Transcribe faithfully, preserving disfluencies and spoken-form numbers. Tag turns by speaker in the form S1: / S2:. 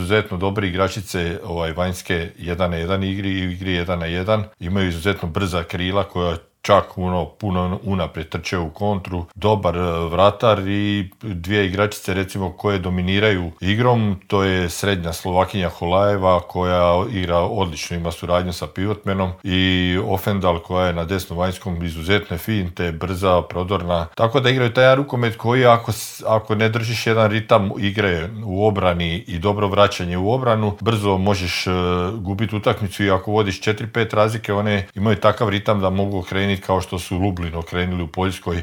S1: izuzetno dobre igračice ovaj, vanjske jedan na jedan igri i igri jedan na jedan. Imaju izuzetno brza krila koja čak ono, puno unaprijed trče u kontru, dobar vratar i dvije igračice recimo koje dominiraju igrom, to je srednja Slovakinja Holajeva koja igra odlično, ima suradnju sa pivotmenom i Ofendal koja je na desnom vanjskom izuzetne finte, brza, prodorna, tako da igraju taj rukomet koji ako, ako ne držiš jedan ritam igre u obrani i dobro vraćanje u obranu, brzo možeš uh, gubiti utakmicu i ako vodiš četiri pet razlike, one imaju takav ritam da mogu okrenuti kao što su Lublin okrenuli u Poljskoj